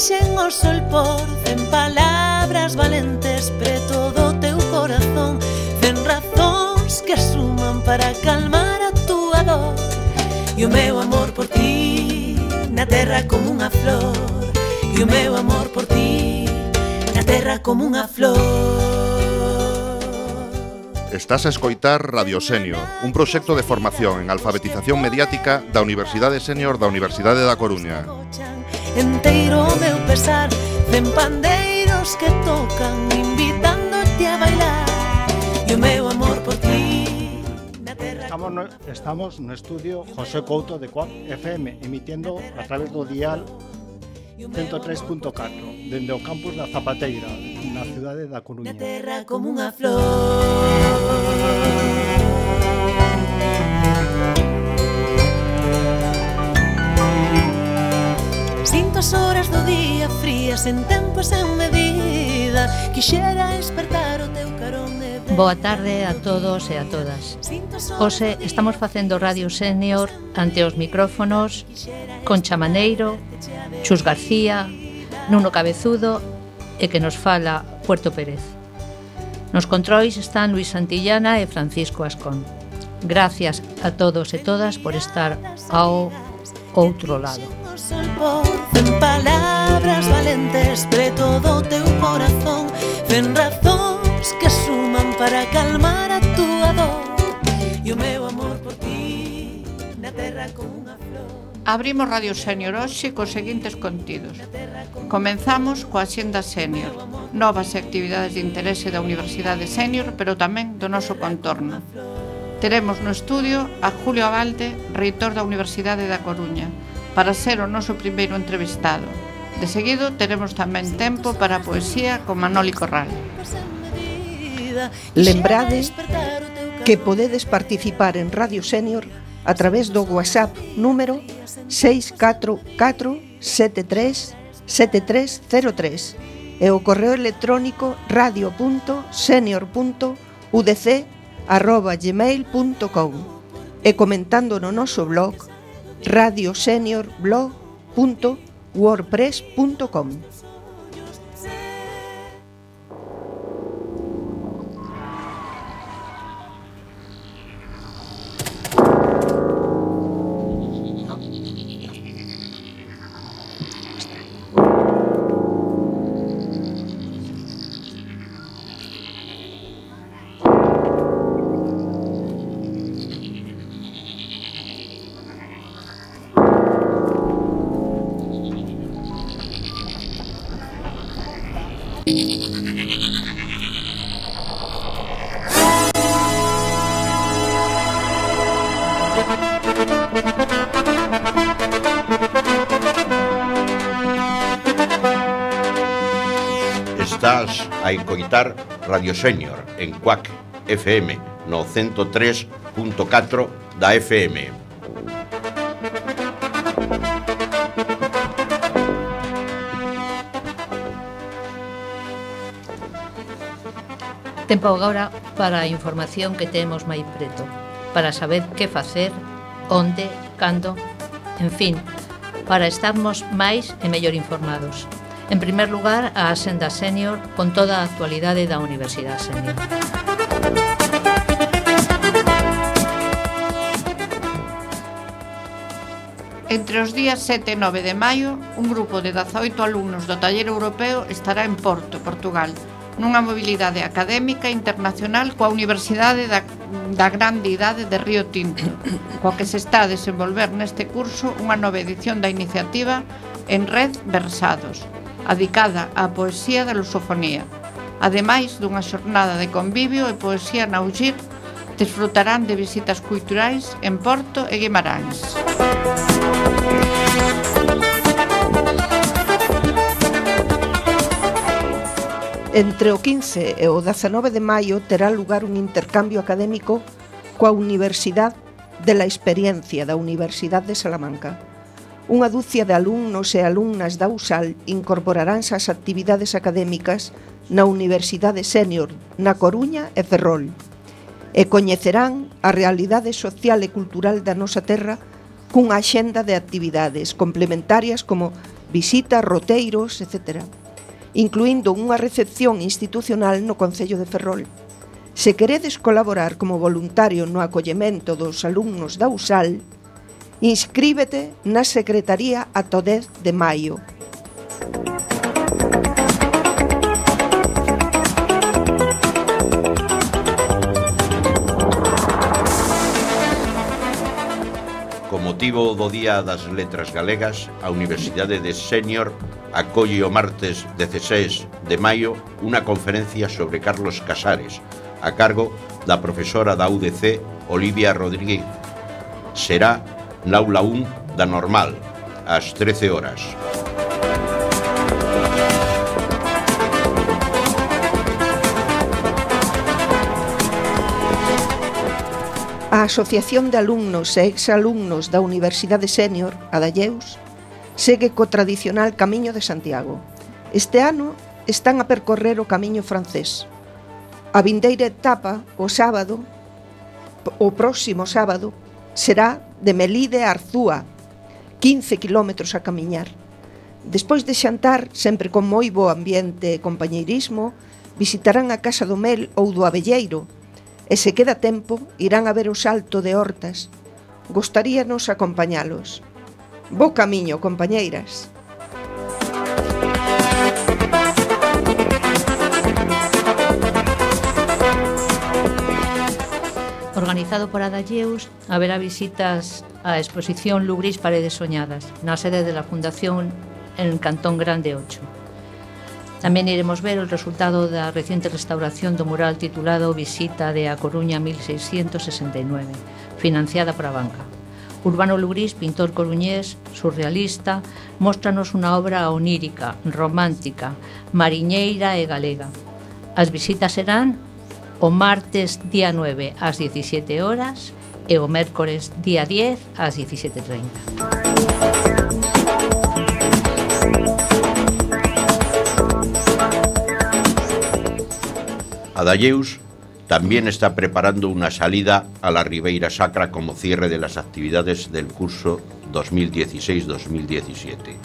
enchen o sol por 100 palabras valentes preto do teu corazón, 100 razóns que suman para calmar a túa dor. E o meu amor por ti na terra como unha flor, e o meu amor por ti na terra como unha flor. Estás a escoitar Radio Senior, un proxecto de formación en alfabetización mediática da Universidade Senior da Universidade da Coruña. Enteiro o meu pesar, 100 pandeiros que tocan invitándote a bailar, e o meu amor por ti na terra. Estamos no estudio José Couto de Quack FM, emitiendo a través do dial 103.4 dende o campus da Zapateira, na cidade da Coruña. Na terra como unha flor. Sinto as horas do día frías en tempo sen medida, quixera despertar o teu carón de ver. Boa tarde a todos e a todas. Hoxe estamos facendo Radio Senior ante os micrófonos Concha Maneiro, Chus García, Nuno Cabezudo e que nos fala Puerto Pérez. Nos controis están Luis Santillana e Francisco Ascón. Gracias a todos e todas por estar ao outro lado. En palabras valentes preto do teu corazón, 100 razóns que suman para calmar a túa dor, e o meu amor por ti na terra como unha flor. Abrimos Radio Senior hoxe cos seguintes contidos. Comenzamos coa Axenda Senior, novas actividades de interese da Universidade Senior, pero tamén do noso contorno. Teremos no estudio a Julio Abalde, reitor da Universidade da Coruña, para ser o noso primeiro entrevistado. De seguido, teremos tamén tempo para a poesía con Manoli Corral. Lembrade que podedes participar en Radio Senior a través do WhatsApp número 644737303 e o correo electrónico radio.senior.udc@gmail.com e comentando no noso blog radioseniorblog.wordpress.com. Estás a escoitar Radio Senior en Quack FM no 103.4 da FM. Tempo agora para a información que temos máis preto, para saber que facer, onde, cando, en fin, para estarmos máis e mellor informados. En primer lugar, a Axenda Senior con toda a actualidade da Universidade Senior. Entre os días 7 e 9 de maio, un grupo de 18 alumnos do Taller Europeo estará en Porto, Portugal, nunha mobilidade académica internacional coa Universidade da Grande Idade de Río Tinto, coa que se está a desenvolver neste curso unha nova edición da iniciativa En Red Versados, adicada á poesía da lusofonía. Ademais dunha xornada de convivio e poesía na UGIR, desfrutarán de visitas culturais en Porto e Guimarães. Entre o 15 e o 19 de maio terá lugar un intercambio académico coa Universidade de la Experiencia da Universidade de Salamanca. Unha dúcia de alumnos e alumnas da USAL incorporaránse ás actividades académicas na Universidade Senior na Coruña e Ferrol e coñecerán a realidade social e cultural da nosa terra cunha axenda de actividades complementarias como visitas, roteiros, etc., incluindo unha recepción institucional no Concello de Ferrol. Se queredes colaborar como voluntario no acollemento dos alumnos da USAL, inscríbete na Secretaría ata o 10 de maio. Con motivo do Día das Letras Galegas, a Universidade de Sénior acolle o martes 16 de maio unha conferencia sobre Carlos Casares, a cargo da profesora da UDC, Olivia Rodríguez. Será na aula 1 da Normal, ás 13 horas. A Asociación de Alumnos e Exalumnos da Universidade Sénior, Adalleus, segue co tradicional Camiño de Santiago. Este ano están a percorrer o Camiño francés. A vindeira etapa, o próximo sábado, será de Melide a Arzúa, 15 kilómetros a camiñar. Despois de xantar, sempre con moi bo ambiente e compañeirismo, visitarán a Casa do Mel ou do Abelleiro, e se queda tempo, irán a ver o Salto de Hortas. Gostaríanos acompañalos. Bo camiño, compañeiras. Organizado por Adalleus, haberá visitas á exposición Lugrís Paredes Soñadas, na sede de la Fundación en Cantón Grande 8. Tamén iremos ver o resultado da reciente restauración do mural titulado Visita de A Coruña 1669, financiada por a banca. Urbano Lugrís, pintor coruñés, surrealista, móstranos unha obra onírica, romántica, mariñeira e galega. As visitas serán o martes día 9 ás 17 horas e o mércores día 10 ás 17:30. Adalleus también está preparando una salida a la Ribeira Sacra como cierre de las actividades del curso 2016-2017,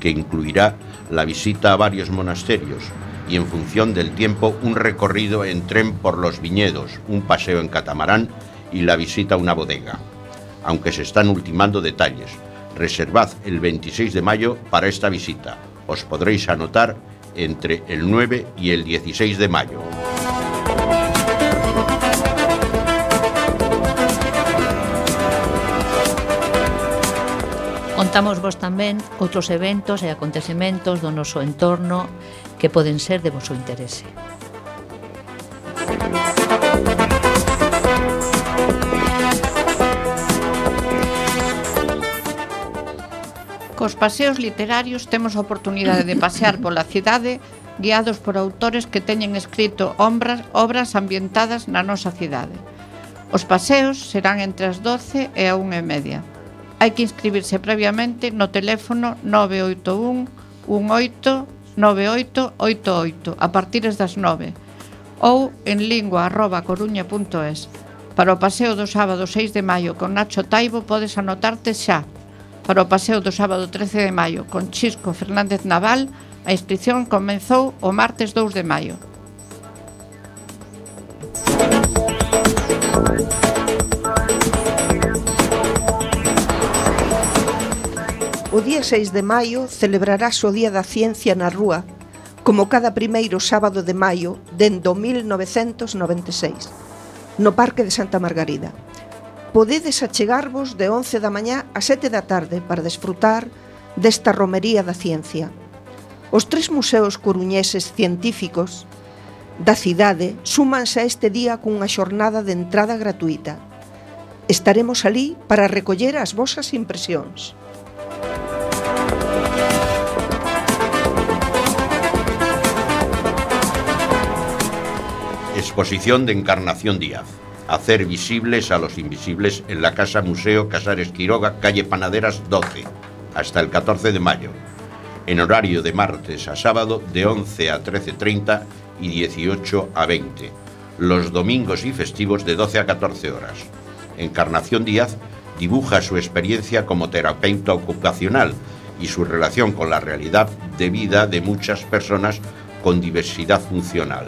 que incluirá la visita a varios monasterios y, en función del tiempo, un recorrido en tren por los viñedos, un paseo en catamarán y la visita a una bodega. Aunque se están ultimando detalles, reservad el 26 de mayo para esta visita. Os podréis anotar entre el 9 y el 16 de mayo. Contamos vos tamén outros eventos e acontecementos do noso entorno que poden ser de voso interese. Cos paseos literarios temos a oportunidade de pasear pola cidade guiados por autores que teñen escrito obras ambientadas na nosa cidade. Os paseos serán entre as 12 e a 1:30. Hai que inscribirse previamente no teléfono 981 18 9888 a partir das 9 ou en lingua@coruña.es. Para o paseo do sábado 6 de maio con Nacho Taibo podes anotarte xa. Para o paseo do sábado 13 de maio con Chisco Fernández Naval, a inscripción comezou o martes 2 de maio. O día 6 de maio celebrarás o Día da Ciencia na Rúa, como cada primeiro sábado de maio dende o 1996, no Parque de Santa Margarida. Podedes achegarvos de 11 da mañá a 7 da tarde para desfrutar desta romería da ciencia. Os 3 museos coruñeses científicos da cidade súmanse a este día cunha xornada de entrada gratuita. Estaremos alí para recoller as vosas impresións. Exposición de Encarnación Díaz. Hacer visibles a los invisibles en la Casa Museo Casares Quiroga, calle Panaderas 12, hasta el 14 de mayo. En horario de martes a sábado de 11 a 13:30 y 18 a 20. Los domingos y festivos de 12 a 14 horas. Encarnación Díaz dibuja su experiencia como terapeuta ocupacional y su relación con la realidad de vida de muchas personas con diversidad funcional.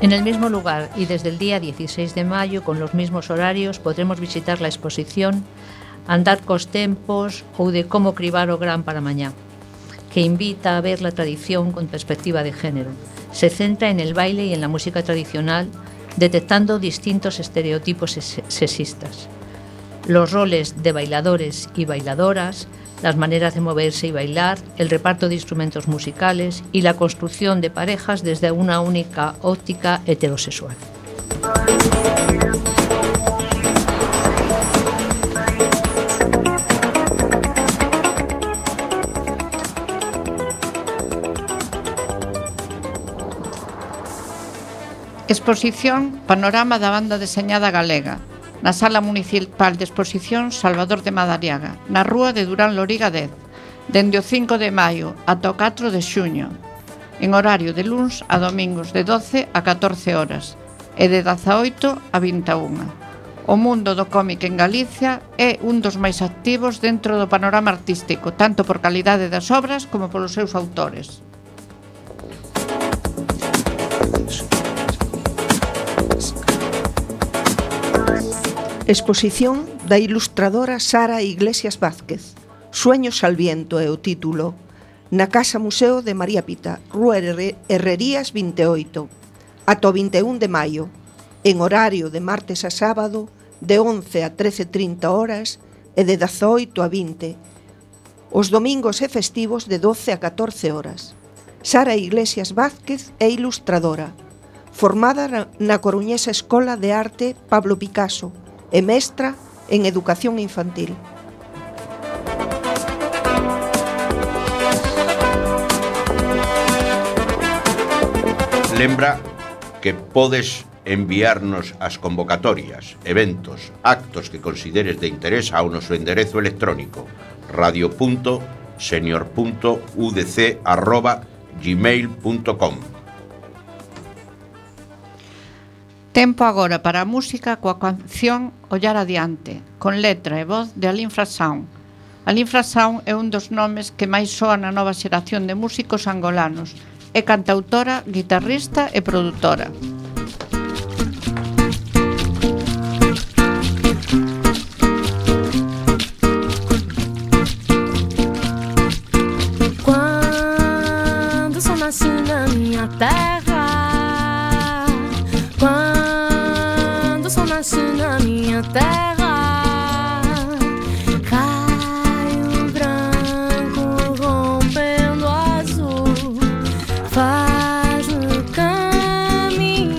En el mismo lugar y desde el día 16 de mayo, con los mismos horarios, podremos visitar la exposición Andar cos tempos ou de como cribar o gran para mañá, que invita a ver la tradición con perspectiva de género. Se centra en el baile y en la música tradicional, detectando distintos estereotipos sexistas. Los roles de bailadores y bailadoras, las maneras de moverse y bailar, el reparto de instrumentos musicales y la construcción de parejas desde una única óptica heterosexual. Exposición Panorama da Banda Deseñada Galega, na Sala Municipal de Exposición Salvador de Madariaga, na rúa de Durán Loriga 10, dende o 5 de maio ata o 4 de xuño, en horario de luns a domingos de 12 a 14 horas e de 18 a 21. O mundo do cómic en Galicia é un dos máis activos dentro do panorama artístico, tanto por calidade das obras como polos seus autores. Exposición da ilustradora Sara Iglesias Vázquez. Sueños al viento é o título. Na Casa Museo de María Pita, Rúa Herrerías 28, ata o 21 de maio, en horario de martes a sábado, de 11 a 13:30 horas e de 18 a 20. Os domingos e festivos de 12 a 14 horas. Sara Iglesias Vázquez é ilustradora, formada na coruñesa Escola de Arte Pablo Picasso, e mestra en educación infantil. Lembra que podes enviarnos as convocatorias, eventos, actos que consideres de interés ao noso enderezo electrónico radio.senior.udc@gmail.com. Tempo agora para a música coa canción Ollar Adiante, con letra e voz de Alín Frassaun. Alín Frassaun é un dos nomes que máis soa na nova xeración de músicos angolanos. É cantautora, guitarrista e produtora. Quando só nasci na minha terra, na minha terra, raio branco rompendo azul, faz o caminho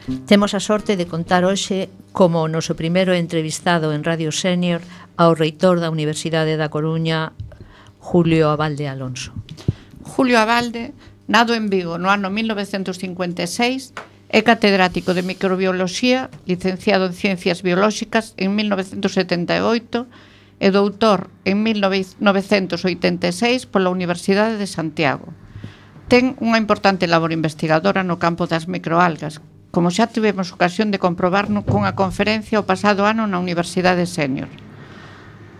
Temos a sorte de contar hoxe como o noso primeiro entrevistado en Radio Senior ao reitor da Universidade da Coruña, Julio Abalde Alonso. Julio Abalde, nado en Vigo no ano 1956, é catedrático de microbioloxía, licenciado en Ciencias Biolóxicas en 1978 e doutor en 1986 pola Universidade de Santiago. Ten unha importante labor investigadora no campo das microalgas, como xa tivemos ocasión de comprobar cunha conferencia o pasado ano na Universidade Senior.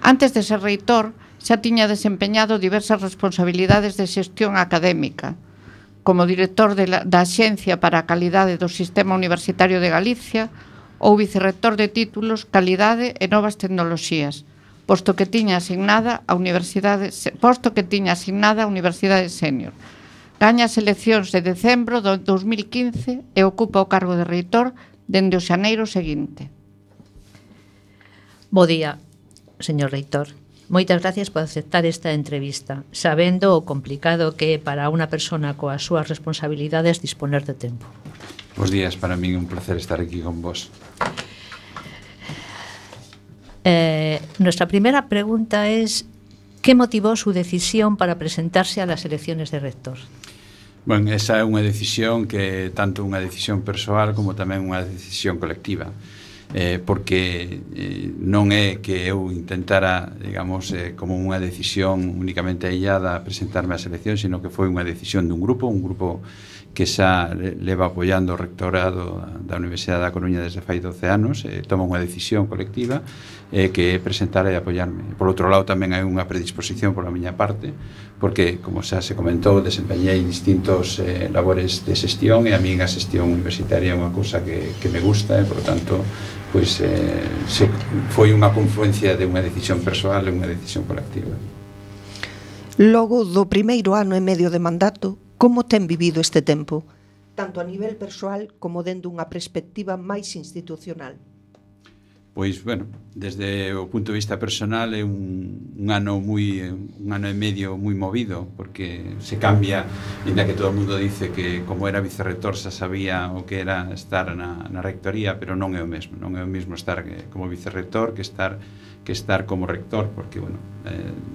Antes de ser reitor, xa tiña desempeñado diversas responsabilidades de xestión académica, como director da Axencia para a Calidade do Sistema Universitario de Galicia ou vicerrector de títulos Calidade e Novas Tecnoloxías, posto que tiña asignada a Universidade Senior. Gaña as eleccións de decembro do 2015 e ocupa o cargo de reitor dende o xaneiro seguinte. Bo día, señor reitor. Moitas gracias por aceptar esta entrevista, sabendo o complicado que é para unha persona coas súas responsabilidades disponer de tempo. Bos días, para min é un placer estar aquí con vos. Nuestra primera pregunta es: ¿qué motivó su decisión para presentarse a las elecciones de rector? Bueno, esa é unha decisión que tanto unha decisión persoal como tamén unha decisión colectiva. Porque non é que eu intentara, digamos, como unha decisión únicamente aillada a presentarme ás eleccións, sino que foi unha decisión dun grupo que xa leva apoiando o rectorado da Universidade da Coruña desde fai 12 anos, toma unha decisión colectiva que é presentar e apoiarme. Por outro lado, tamén hai unha predisposición pola miña parte, porque, como xa se comentou, desempeñei distintos labores de xestión, e a min a xestión universitaria é unha cousa que me gusta, e, por tanto, pois, foi unha confluencia de unha decisión persoal e unha decisión colectiva. Logo do primeiro ano e medio de mandato, como ten vivido este tempo, tanto a nivel persoal como dende unha perspectiva máis institucional? Pois, bueno, desde o punto de vista personal é un ano e medio moi movido, porque se cambia, ainda que todo o mundo dice que como era vicerrector xa sabía o que era estar na rectoría, pero non é o mesmo estar como vicerrector que estar como rector, porque, bueno,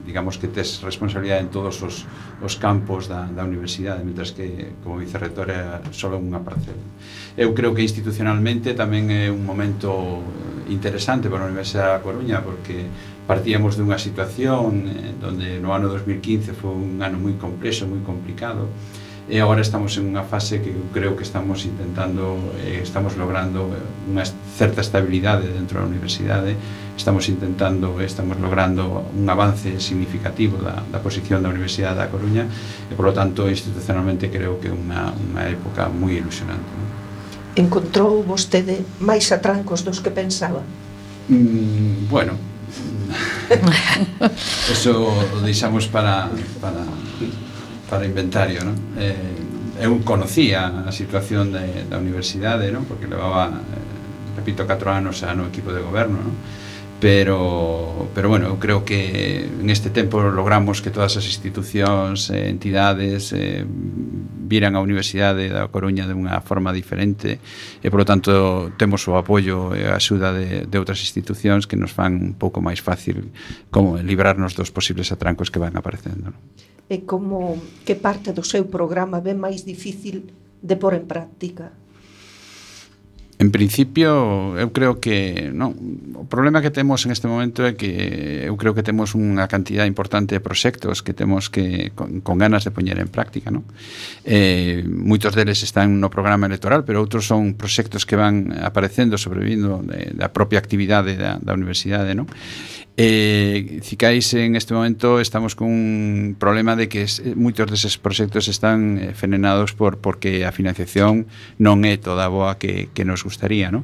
digamos que tes responsabilidade en todos os campos da universidade, mentras que como vicerrector é só unha parcela. Eu creo que institucionalmente tamén é un momento interesante para a Universidade da Coruña, porque partíamos dunha situación donde no ano 2015 foi un ano moi complexo, moi complicado, e agora estamos en unha fase que eu creo que estamos logrando unha certa estabilidade dentro da universidade, estamos logrando un avance significativo da posición da Universidade da Coruña, e, por lo tanto, institucionalmente creo que é unha época moi ilusionante, non? Encontrou vostede máis atrancos dos que pensaba? Bueno, eso o deixamos para inventario, non? Eu conocía a situación da universidade, non? Porque levaba, repito, 4 anos no equipo de goberno, non? Pero bueno, eu creo que en este tempo logramos que todas as institucións, entidades viran a Universidade da Coruña de unha forma diferente, e, polo tanto, temos o apoio e a axuda de outras institucións que nos fan un pouco máis fácil como librarnos dos posibles atrancos que van aparecendo, non? E como que parte do seu programa ve máis difícil de pôr en práctica? En principio, eu creo que non. O problema que temos en este momento é que eu creo que temos unha cantidad importante de proxectos que temos que con ganas de poñer en práctica, non? Moitos deles están no programa electoral, pero outros son proxectos que van aparecendo, sobrevindo da propia actividade da universidade, non? Cicais, en este momento estamos con un problema de que moitos deses proxectos están frenados porque a financiación non é toda boa que nos gustaría, non?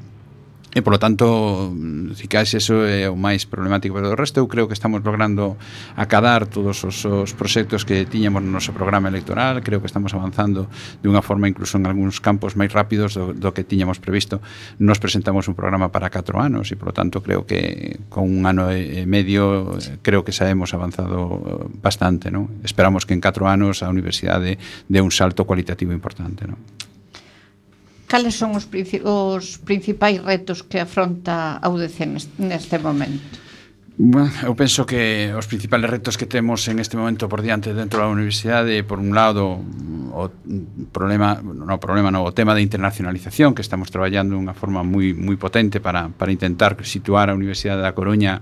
E, polo tanto, cicais, eso é o máis problemático, pero do resto eu creo que estamos logrando acadar todos os proxectos que tiñamos no noso programa electoral. Creo que estamos avanzando de unha forma incluso en algúns campos máis rápidos do que tiñamos previsto. Nos presentamos un programa para 4 anos e, polo tanto, creo que con un ano e medio creo que xa hemos avanzado bastante, non? Esperamos que en 4 anos a universidade dé un salto cualitativo importante, non? Cales son os principais retos que afronta a UDC neste momento? Bueno, eu penso que os principales retos que temos en este momento por diante dentro da universidade, por un lado, o tema da internacionalización, que estamos traballando de unha forma moi potente para intentar situar a Universidade da Coruña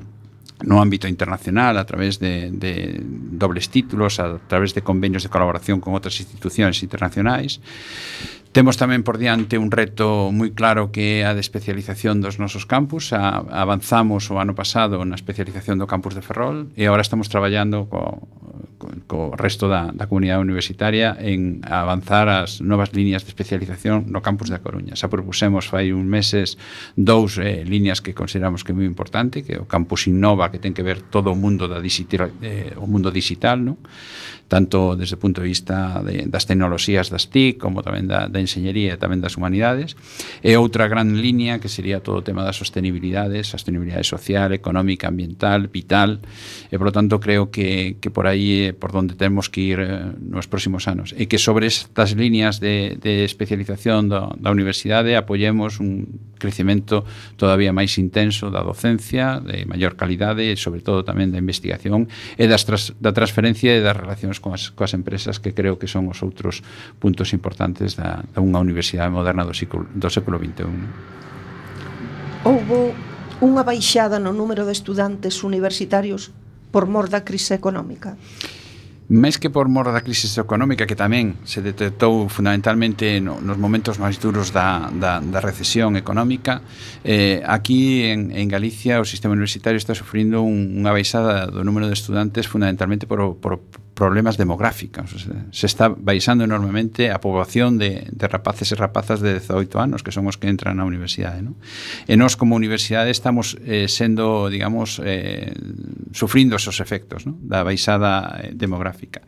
no ámbito internacional a través de dobles títulos, a través de convenios de colaboración con outras institucións internacionais. Temos tamén por diante un reto moi claro que é a de especialización dos nosos campus. Avanzamos o ano pasado na especialización do campus de Ferrol e agora estamos traballando co resto da comunidade universitaria en avanzar as novas líneas de especialización no campus da Coruña. Xa propusemos fai uns meses 2 líneas que consideramos que é moi importante, que é o campus Innova, que ten que ver todo o mundo o mundo digital, non? Tanto desde o punto de vista das tecnoloxías das TIC, como tamén da enxeñería e tamén das humanidades, e outra gran línea que sería todo o tema da sostenibilidade social, económica, ambiental, vital, e por lo tanto creo que por aí é por donde temos que ir nos próximos anos, e que sobre estas líneas de especialización da universidade apoyemos un crecemento todavía máis intenso da docencia, de maior calidade e sobre todo tamén da investigación e da transferencia e das relacións coas empresas, que creo que son os outros puntos importantes da unha universidade moderna do século XXI. Houbo unha baixada no número de estudantes universitarios por mor da crise económica? Máis que por mor da crise económica, que tamén se detectou fundamentalmente nos momentos máis duros da recesión económica, aquí en Galicia o sistema universitario está sufrindo unha baixada do número de estudantes fundamentalmente por problemas demográficos. Se está baixando enormemente a poboación de rapaces e rapazas de 18 anos, que son os que entran na universidade, non? E nós como universidade estamos sendo, digamos, sufrindo esos efectos, non? Da baixada demográfica,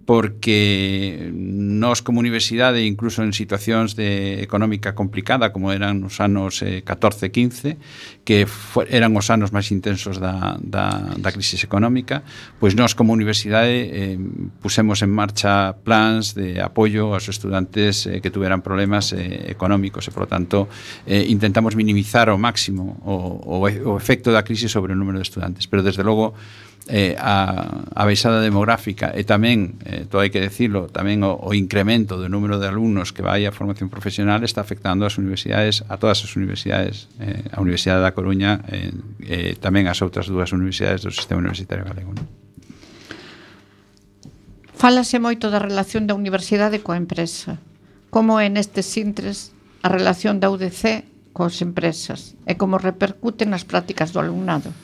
porque nós como universidade, incluso en situacións de económica complicada como eran os anos 14-15, que eran os anos máis intensos da crise económica, pois nós como universidade pusemos en marcha plans de apoio aos estudantes que tuveran problemas económicos e, por lo tanto, intentamos minimizar ao máximo o efecto da crise sobre o número de estudantes, pero desde logo a baixada demográfica e tamén, todo hai que decirlo, tamén o incremento do número de alumnos que vai a formación profesional está afectando as universidades, a todas as universidades, a Universidade da Coruña e tamén as outras 2 universidades do sistema universitario galego, non? Fálase moito da relación da universidade coa empresa. Como é nestes intres a relación da UDC coas empresas e como repercute nas prácticas do alumnado?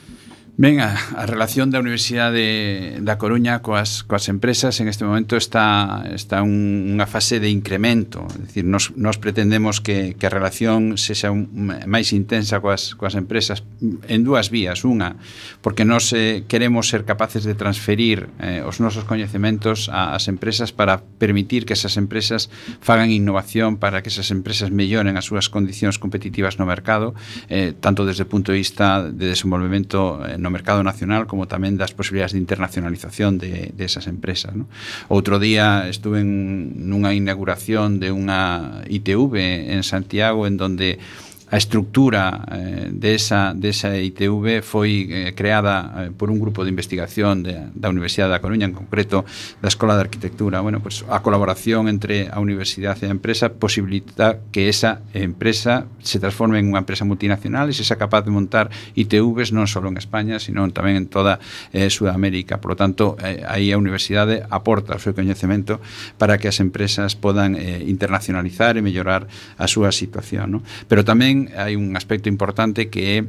Ben, a relación da Universidade da Coruña coas empresas en este momento está unha fase de incremento. É dicir, nos pretendemos que a relación sexa máis intensa coas empresas en 2 vías. Unha, porque nos queremos ser capaces de transferir os nosos coñecementos ás empresas para permitir que esas empresas fagan innovación, para que esas empresas melloren as súas condicións competitivas no mercado, tanto desde o punto de vista de desenvolvemento no mercado nacional como tamén das posibilidades de internacionalización de esas empresas, ¿no? Outro día estuve nunha inauguración de unha ITV en Santiago, en donde a estructura de esa ITV foi creada por un grupo de investigación da Universidade da Coruña, en concreto da Escola de Arquitectura. Bueno, pues a colaboración entre a universidade e a empresa posibilita que esa empresa se transforme en unha empresa multinacional e se sea capaz de montar ITVs non só en España, sino tamén en toda Sudamérica. Por lo tanto, aí a universidade aporta o seu coñecemento para que as empresas podan internacionalizar e mellorar a súa situación, ¿no? Pero tamén hai un aspecto importante que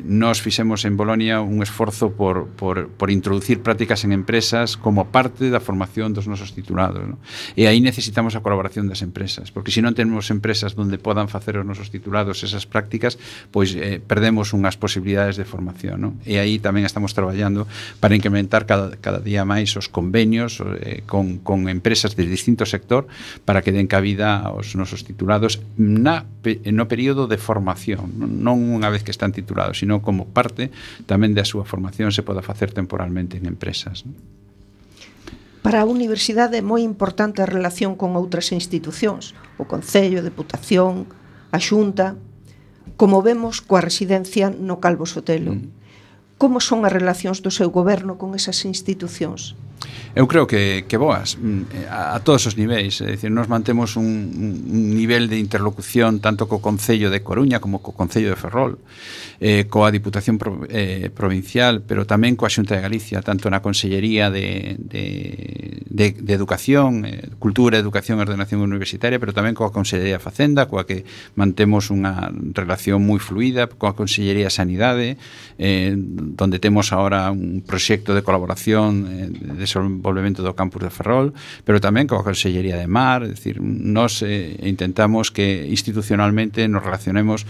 nós fixemos en Bolonia un esforzo por introducir prácticas en empresas como parte da formación dos nosos titulados, ¿no? E aí necesitamos a colaboración das empresas, porque se non temos empresas onde podan facer os nosos titulados esas prácticas, pois perdemos unhas posibilidades de formación, ¿no? E aí tamén estamos traballando para incrementar cada día máis os convenios con empresas de distinto sector para que den cabida aos nosos titulados no período de formación, non unha vez que están titulados, sino como parte tamén da súa formación se poda facer temporalmente en empresas, ¿no? Para a universidade é moi importante a relación con outras institucións, o Concello, a Deputación, a Xunta, como vemos coa residencia no Calvo Sotelo. Como son as relacións do seu goberno con esas institucións? Eu creo que boas a todos os niveis, é dicir, nos mantemos un nivel de interlocución tanto co Concello de Coruña como co Concello de Ferrol, coa Diputación Provincial, pero tamén coa Xunta de Galicia, tanto na Consellería de Educación, Cultura, Educación e Ordenación Universitaria, pero tamén coa Consellería de Facenda, coa que mantemos unha relación moi fluida, coa Consellería de Sanidade, donde temos ahora un proxecto de colaboración de desenvolvemento do campus de Ferrol, pero tamén coa Consellería de Mar, é dicir, nos intentamos que institucionalmente nos relacionemos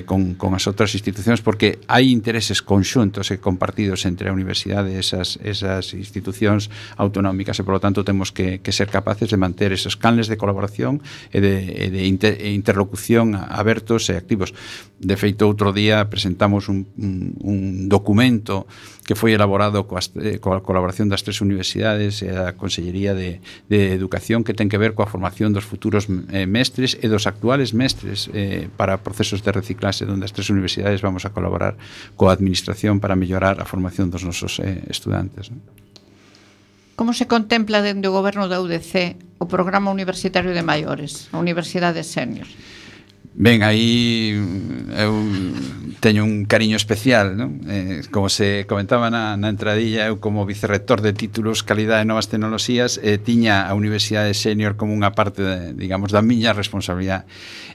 con as outras institucións, porque hai intereses conxuntos e compartidos entre a universidade e esas institucións autonómicas, e polo tanto temos que ser capaces de manter esos canles de colaboración e de interlocución abertos e activos. De feito, outro día presentamos un documento que foi elaborado coa colaboración das tres universidades e a Consellería de Educación, que ten que ver coa formación dos futuros mestres e dos actuales mestres para procesos de reciclaxe, onde as tres universidades vamos a colaborar coa administración para mellorar a formación dos nosos estudantes. Como se contempla dende o goberno da UDC o programa universitario de maiores, a Universidade Senior? Ben, aí eu teño un cariño especial, non? Como se comentaba na entradilla, eu como vicerrector de títulos, calidade e novas tecnoloxías, tiña a Universidade Senior como unha parte, digamos, da miña responsabilidade,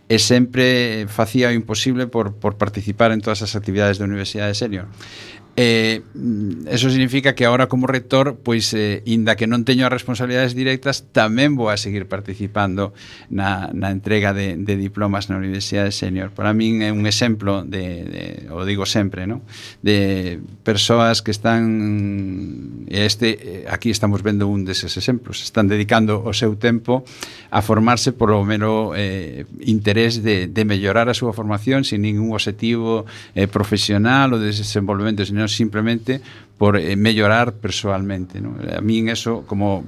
e sempre facía o imposible por participar en todas as actividades da Universidade Senior. Eso significa que agora como rector, pois, inda que non teño as responsabilidades directas, tamén vou a seguir participando na entrega de diplomas na Universidade Senior. Para min é un exemplo o digo sempre, ¿no?, de persoas que están, aquí estamos vendo un deses exemplos, están dedicando o seu tempo a formarse por o mero interés de mellorar a súa formación sin ningún objetivo profesional ou de desenvolvemento, sino simplemente por mellorar persoalmente, ¿no? A min eso, como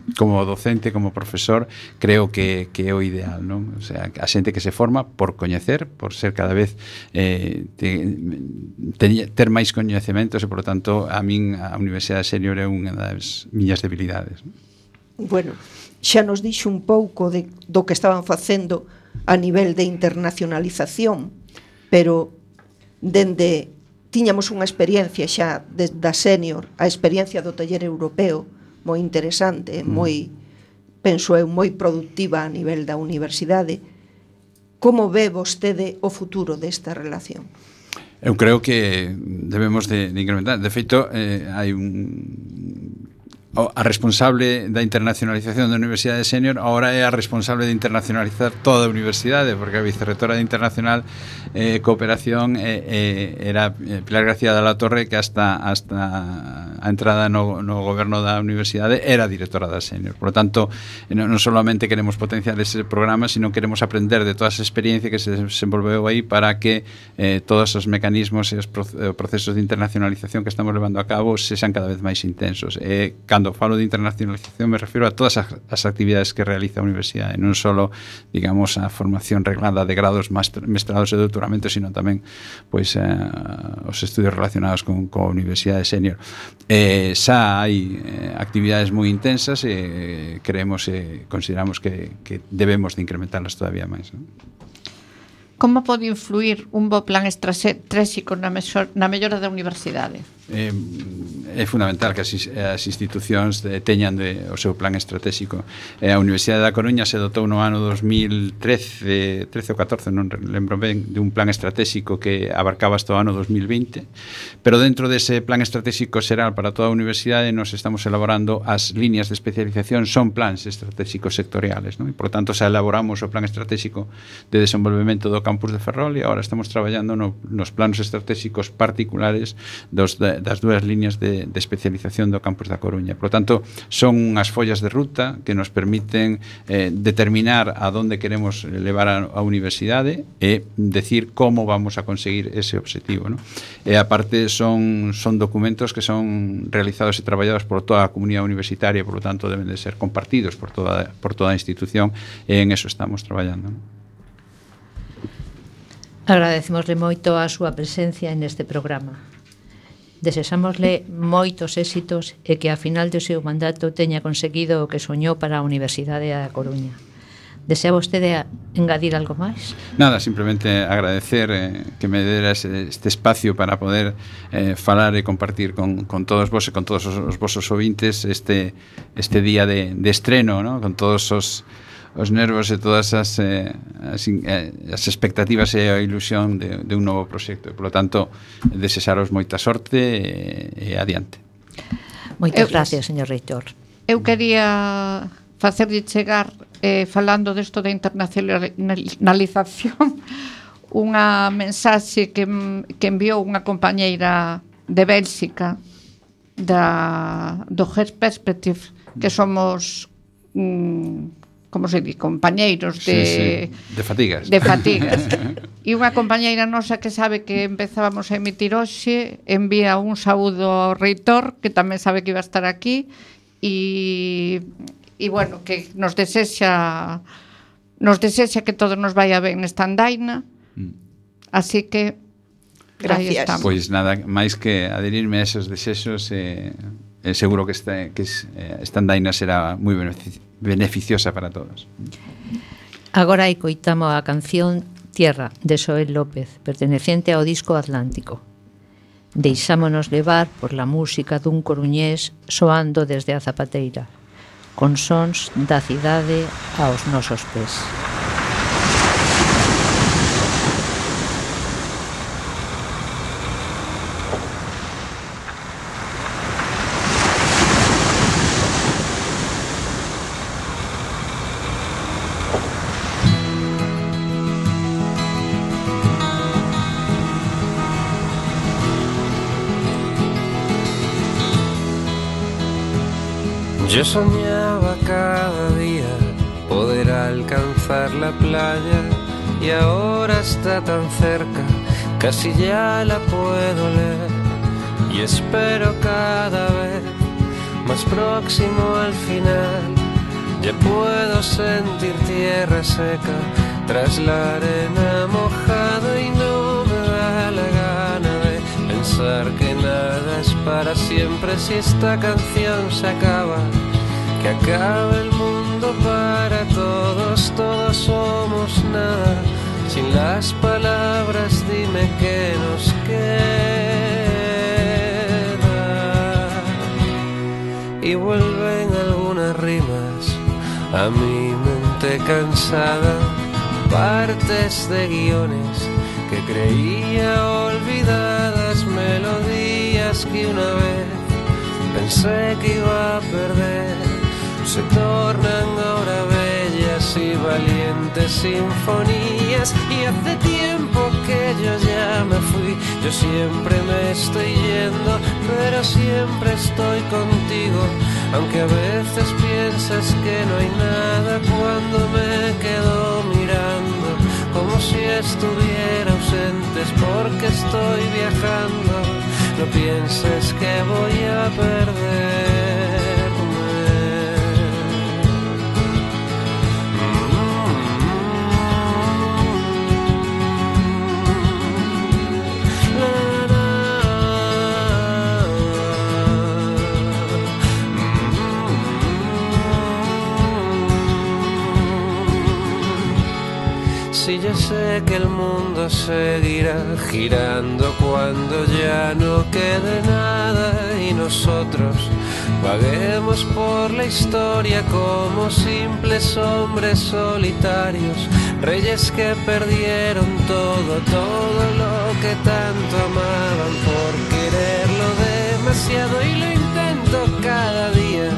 docente, como profesor, creo que é o ideal, ¿no? O sea, a xente que se forma por coñecer, por ser cada vez ter máis coñecementos, e, por tanto, a min a Universidade Senior é unha das miñas debilidades, ¿no? Bueno, xa nos dixo un pouco do que estaban facendo a nivel de internacionalización, pero tiñamos unha experiencia xa da Senior, a experiencia do taller europeo, moi interesante, penso eu, moi productiva a nivel da universidade. Como ve vostede o futuro desta relación? Eu creo que debemos de incrementar. De feito, hai a responsable da internacionalización da Universidade Senior agora é a responsable de internacionalizar toda a universidade, porque a vicerrectora de Internacional Cooperación era Pilar García de la Torre, que hasta a entrada no goberno da universidade era directora da Senior. Por lo tanto, non solamente queremos potenciar ese programa, sino queremos aprender de toda esa experiencia que se desenvolveu aí para que todos os mecanismos e os procesos de internacionalización que estamos levando a cabo sexan cada vez máis intensos. Cando falo de internacionalización me refiro a todas as actividades que realiza a universidade, non só, digamos, a formación reglada de grados, mestrados e doutoramentos, sino tamén, pois, os estudios relacionados con a Universidade Senior. Xa hai actividades moi intensas e creemos e consideramos que debemos de incrementarlas todavía máis, non? Como pode influir un bo plan estratégico na mellora da universidade? É fundamental que as institucións teñan o seu plan estratégico. A Universidade da Coruña se dotou no ano 2013 ou 14, non lembro ben, de un plan estratégico que abarcaba hasta o ano 2020, pero dentro dese plan estratégico xeral para toda a universidade nos estamos elaborando as líneas de especialización, son plans estratégicos sectoriales, non? E, por tanto, xa elaboramos o plan estratégico de desenvolvemento do campus de Ferrol e agora estamos traballando nos planos estratégicos particulares dúas líneas de especialización do campus da Coruña. Por lo tanto, son unhas follas de ruta que nos permiten determinar a donde queremos levar a universidade e decir como vamos a conseguir ese objetivo, ¿no? E aparte son documentos que son realizados e traballados por toda a comunidade universitaria, por lo tanto deben de ser compartidos por toda a institución, e en eso estamos traballando, ¿no? Agradecemosle moito a súa presencia neste programa. Desexámosle moitos éxitos e que a final do seu mandato teña conseguido o que soñou para a Universidade da Coruña. Desea vostede engadir algo máis? Nada, simplemente agradecer que me dera este espacio para poder falar e compartir con todos vos e con todos os vosos ouvintes este día de estreno, ¿no? Con todos os nervos e todas as expectativas e a ilusión de un novo proxecto. Por lo tanto, desexaros moita sorte e adiante. Moitas gracias, señor reitor. Eu quería facerlle chegar, falando desto da internacionalización, unha mensaxe que enviou unha compañeira de Bélxica do Her Perspective, que somos como se di, compañeiros de fatigas. De fatigas. E unha compañeira nosa que sabe que empezábamos a emitir hoxe envía un saúdo ao reitor, que tamén sabe que iba a estar aquí, e bueno, que nos desexa que todo nos vaya ben nesta andaina. Así que gracias. Pois nada, máis que adherirme a esos desexos, seguro que esta andaina será moi beneficiosa para todos. Agora escoitamos a canción Tierra, de Xoel López, perteneciente ao disco Atlántico. Deixámonos levar por la música dun coruñés soando desde a Zapateira, con sons da cidade aos nosos pés. Yo soñaba cada día poder alcanzar la playa y ahora está tan cerca, casi ya la puedo leer y espero cada vez más próximo al final. Ya puedo sentir tierra seca tras la arena mojada y no me da la gana de pensar que nada es para siempre. Si esta canción se acaba, que acabe el mundo para todos, todos somos nada. Sin las palabras dime qué nos queda. Y vuelven algunas rimas a mi mente cansada, partes de guiones que creía olvidadas, melodías que una vez pensé que iba a perder, se tornan ahora bellas y valientes sinfonías. Y hace tiempo que yo ya me fui, yo siempre me estoy yendo, pero siempre estoy contigo, aunque a veces piensas que no hay nada cuando me quedo mirando, como si estuviera ausente, es porque estoy viajando. No pienses que voy a perderme. Si yo sé que el mundo seguirá girando cuando ya no quede nada y nosotros vaguemos por la historia como simples hombres solitarios, reyes que perdieron todo, todo lo que tanto amaban por quererlo demasiado. Y lo intento cada día,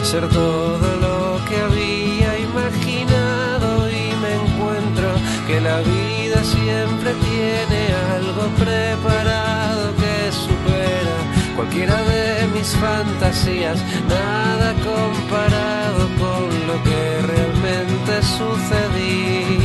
ser todo lo que había imaginado, y me encuentro que la vida siempre tiene algo preparado que supera cualquiera de mis fantasías, nada comparado con lo que realmente sucedía.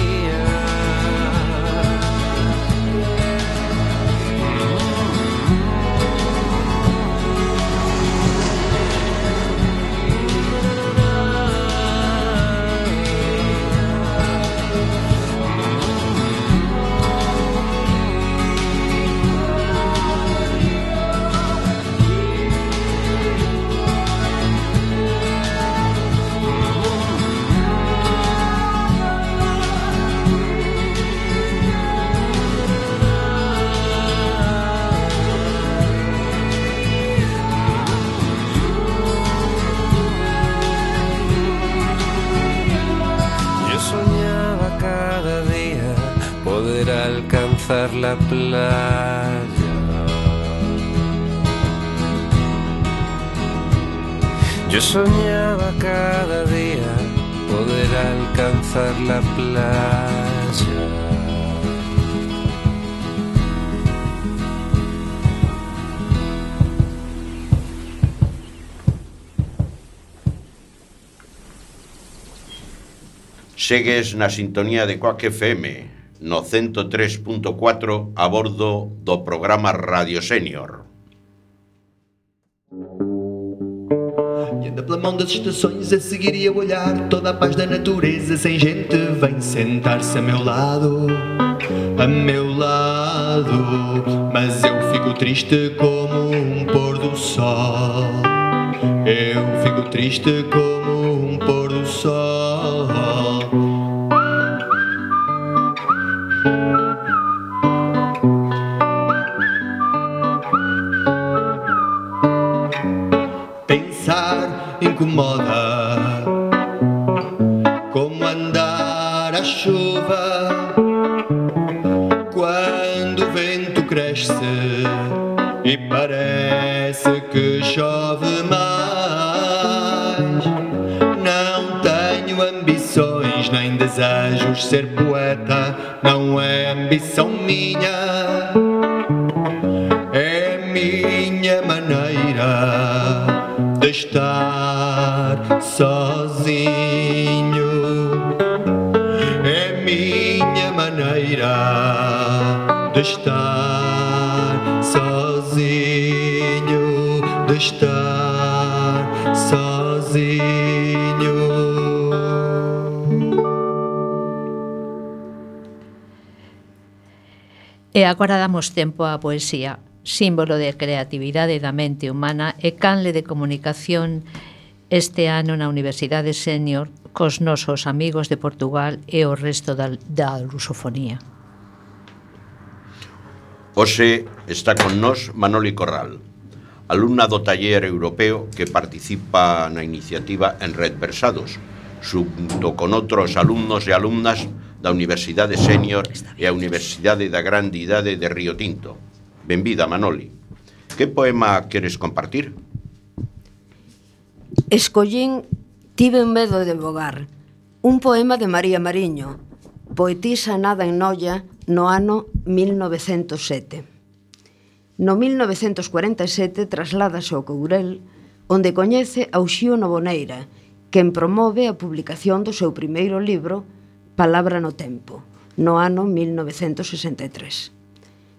Alcanzar la playa. Yo soñaba cada día poder alcanzar la playa. Segues na sintonía de Coac FM no 103.4 a bordo do programa Radio Sénior. E anda pela mão das estações a seguir e a olhar toda a paz da natureza. Sem gente vem sentar-se a meu lado, mas eu fico triste como um pôr do sol. Eu fico triste como um pôr do sol. Incomoda como andar à chuva quando o vento cresce e parece que chove mais. Não tenho ambições nem desejos, ser poeta não é ambição minha, é minha maneira de estar sozinho, é minha maneira de estar sozinho, de estar sozinho. E agora damos tempo á poesía, símbolo de creatividade da mente humana e canle de comunicación este ano na Universidade Sénior cos nosos amigos de Portugal e o resto da lusofonía. Hoxe está con nós Manoli Corral, alumna do taller europeo que participa na iniciativa En Red Versados, xunto con outros alumnos e alumnas da Universidade Sénior e a Universidade da Grande Idade de Río Tinto. Benvida, Manoli. Que poema queres compartir? Escollín Tiven medo de vogar, un poema de María Mariño, poetisa nada en Noia no ano 1907. No 1947 trasládase ao Courel, onde coñece a Uxío Novoneira, quen promove a publicación do seu primeiro libro, Palabra no tempo, no ano 1963.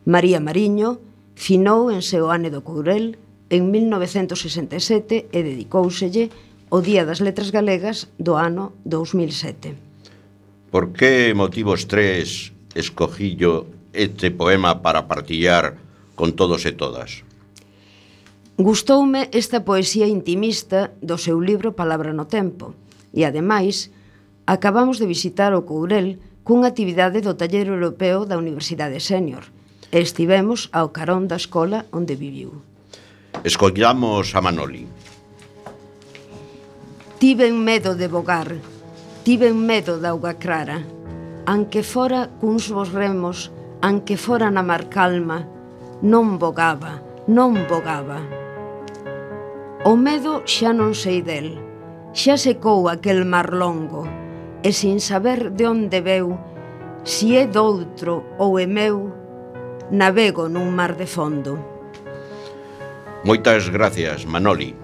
María Mariño finou en Seoane do Courel en 1967 e dedicóuselle o Día das Letras Galegas do ano 2007. Por que motivos tres escogillo este poema para partillar con todos e todas? Gustoume esta poesía intimista do seu libro Palabra no tempo e, ademais, acabamos de visitar o Courel cunha actividade do taller europeo da Universidade Sénior e estivemos ao carón da escola onde viviu. Escollamos a Manoli. Tiven medo de vogar, tiven medo da auga clara, anque fora cuns vos remos, anque fora na mar calma, non vogaba, non vogaba. O medo xa non sei del, xa secou aquel mar longo, e sin saber de onde veu, si é doutro ou é meu, navego nun mar de fondo. Moitas gracias, Manoli.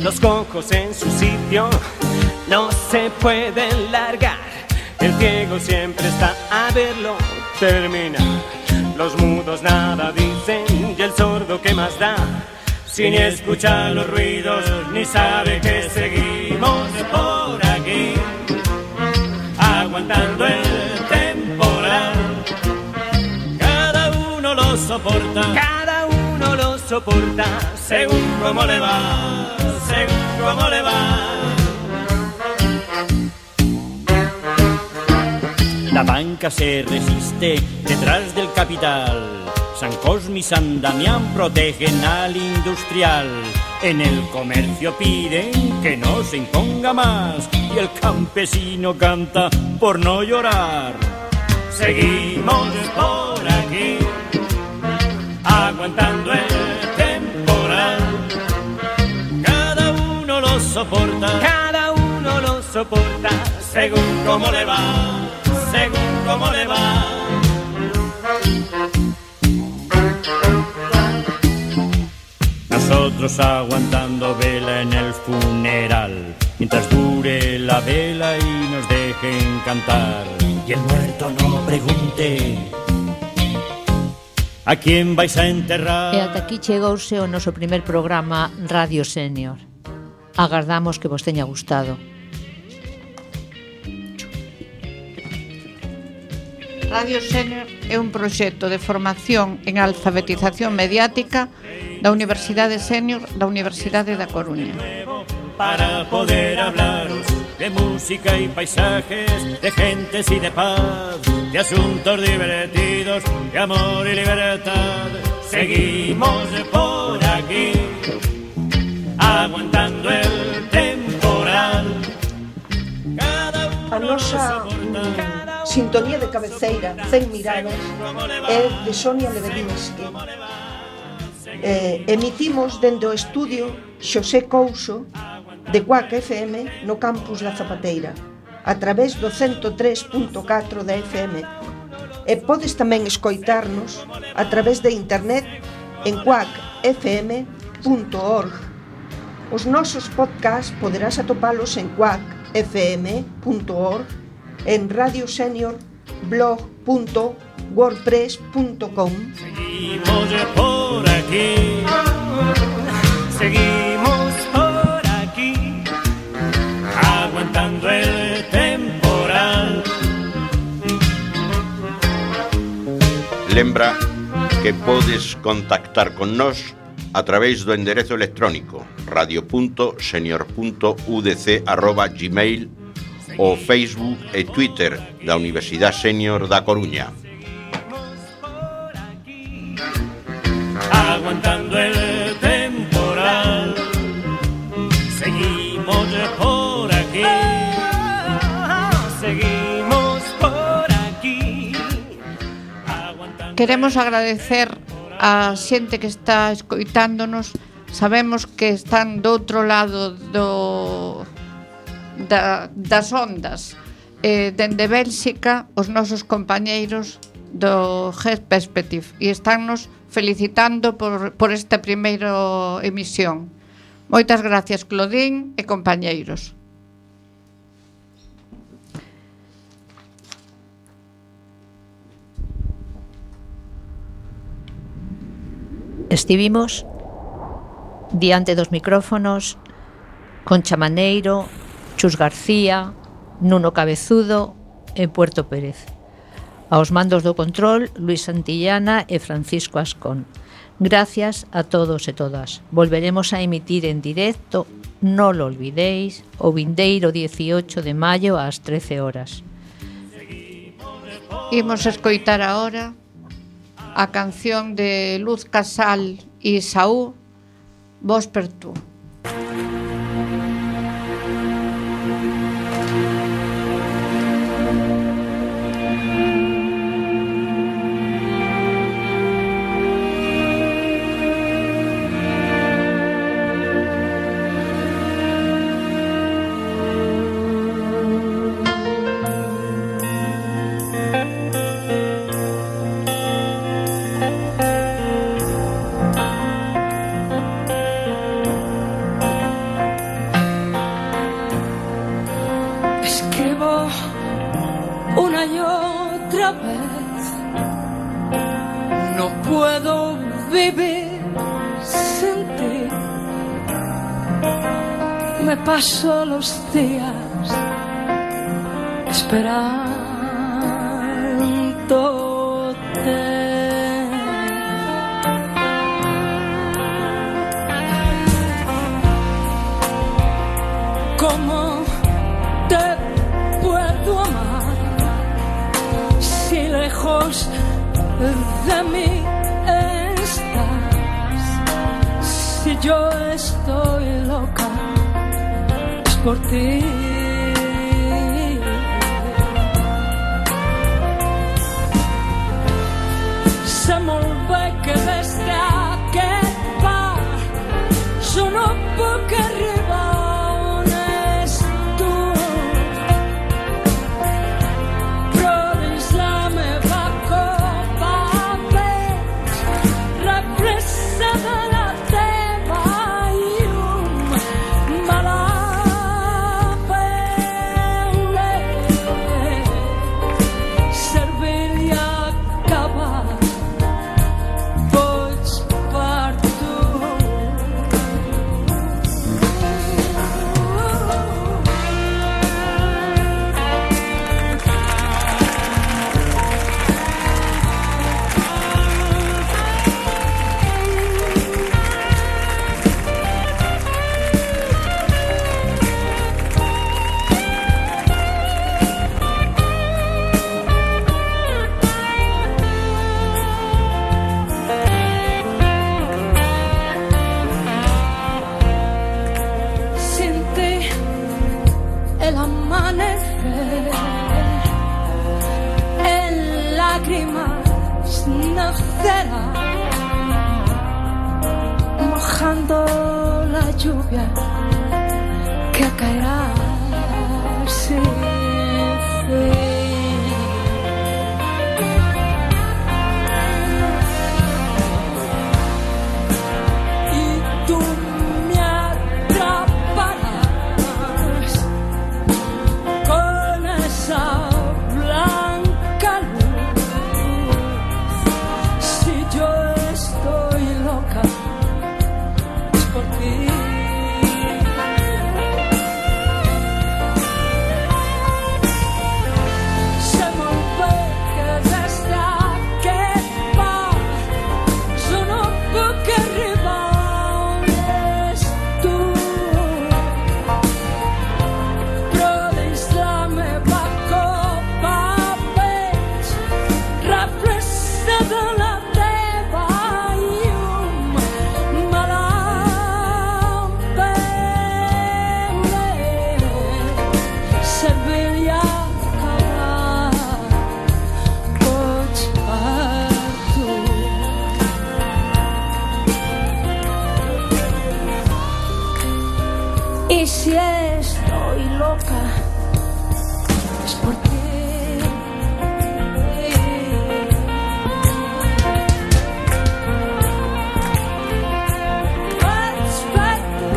Los cojos en su sitio no se pueden largar. El ciego siempre está a verlo terminar. Los mudos nada dicen y el sordo ¿qué más da? Si ni escucha los ruidos ni sabe que seguimos por aquí, aguantando el temporal. Cada uno lo soporta. soporta, según como le va, según como le va. La banca se resiste detrás del capital. San Cosme y San Damián protegen al industrial. En el comercio piden que no se imponga más y el campesino canta por no llorar. Seguimos por aquí, aguantando el temporal. Cada uno lo soporta, cada uno lo soporta, según como le va, según como le va. Nosotros aguantando vela en el funeral, mientras dure la vela y nos dejen cantar. Y el muerto no pregunte a quién vais a enterrar. E ata aquí chegouse o noso primer programa Radio Senior. Agardamos que vos teña gustado. Radio Senior é un proxecto de formación en alfabetización mediática da Universidade Senior da Universidade da Coruña. Para poder hablaros de música y paisajes, de gentes y de paz, de asuntos divertidos, de amor y libertad. Seguimos por aquí, aguantando el temporal. A nosa sintonía de cabeceira, 100 miradas, é de Sonia Lebedinsky. Emitimos dende o estudio Xosé Couso de Cuac FM no campus da Zapateira, a través do 103.4 da FM. E podes tamén escoitarnos a través de internet en cuacfm.org. Os nosos podcasts poderás atopalos en cuacfm.org, en radioseniorblog.wordpress.com. Seguimos por aquí, seguimos por aquí, aguantando el temporal. Lembra que podes contactar con nós a través do enderezo electrónico radio.senior.udc@gmail.com o Facebook e Twitter da Universidade Senior da Coruña. Aguantando el temporal, seguimos por aquí, seguimos por aquí. Queremos agradecer a xente que está escoitándonos. Sabemos que están do outro lado das ondas, dende Bélxica, os nosos compañeiros do GET Perspective, e estánnos felicitando por esta primeira emisión. Moitas gracias, Clodín e compañeiros. Estivimos diante dos micrófonos Concha Maneiro, Chus García, Nuno Cabezudo e Puerto Pérez. Aos mandos do control, Luis Santillana e Francisco Ascón. Gracias a todos e todas. Volveremos a emitir en directo, non lo olvidéis, o vindeiro 18 de maio ás 13 horas. Imos escoitar agora a canción de Luz Casal e Saúl, Vos per tú. Una y otra vez no puedo vivir sin ti. Me paso los días esperándote. puedo amar si lejos de mí estás? Si yo estoy loca es por ti. Se molt bé que des d'aquest bar jo no puc arribar on és tu, però dins la meva copa veig represa de la teva llum, me la veuré servir i acabar. Mojando la lluvia que caerá sin fin. Y tú me atraparás con esa blanca luz. Si yo estoy loca por ti. Se molt bé que des d'aquest bar jo no puc arribar on és tu, però dins la meva copa veig represa de la teva llum, me la servir i acabar. Pots per tu. Y si estoy loca es por ti. Pots per tu.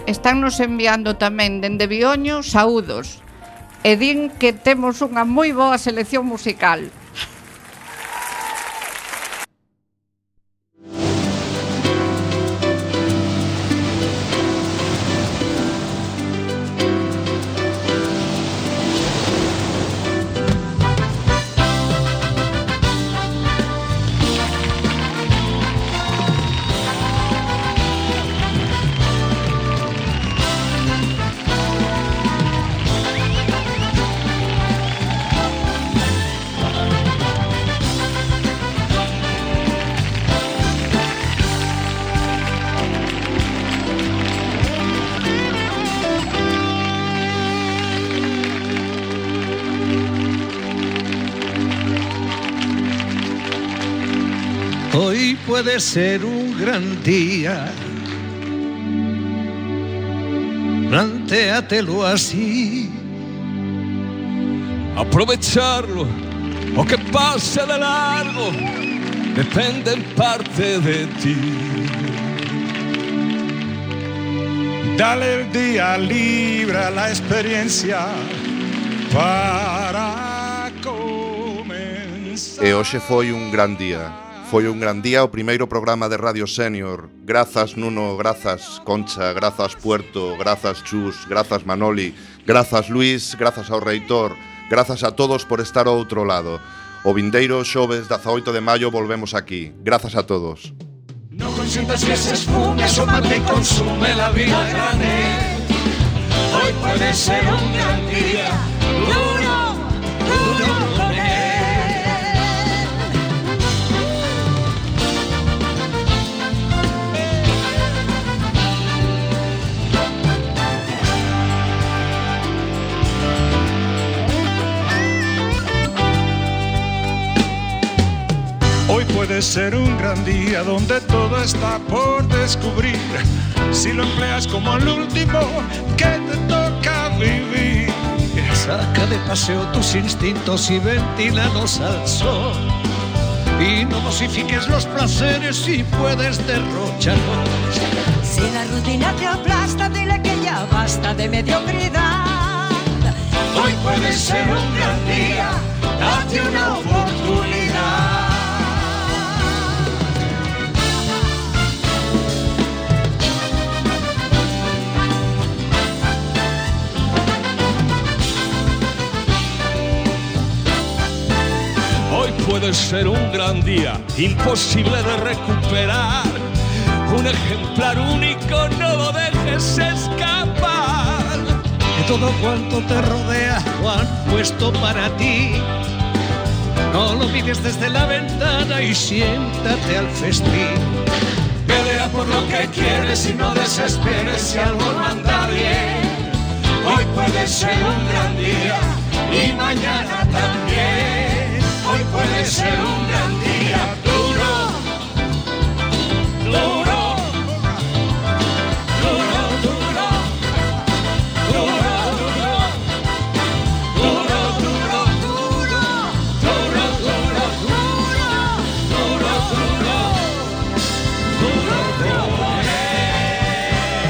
Estánnos enviando tamén dende Vioño saúdos e din que temos unha moi boa selección musical. Hoy puede ser un gran día, plantéatelo así. Aprovecharlo o que pase de largo depende en parte de ti. Dale el día, libra la experiencia para comenzar. E hoxe foi un gran día. Foi un gran día o primeiro programa de Radio Senior. Grazas Nuno, grazas Concha, grazas Puerto, grazas Chus, grazas Manoli, grazas Luis, grazas ao reitor, grazas a todos por estar ao outro lado. O vindeiro xoves 18 de maio volvemos aquí. Grazas a todos. No consientas que se esfume, asómate y consume la vida a granel. Hoy puede ser un gran día, duro, duro con él. Hoy puede ser un gran día donde todo está por descubrir, si lo empleas como el último que te toca vivir. Saca de paseo tus instintos y ventílalos al sol. Y no dosifiques los placeres si puedes derrocharlos. Si la rutina te aplasta, dile que ya basta de mediocridad. Hoy puede ser un gran día, date una oportunidad. Hoy puede ser un gran día, imposible de recuperar. Un ejemplar único, no lo dejes escapar. De todo cuanto te rodea lo han puesto para ti. No lo mires desde la ventana y siéntate al festín. Pelea por lo que quieres y no desesperes si algo no anda bien. Hoy puede ser un gran día y mañana también. Hoy puede ser un gran día.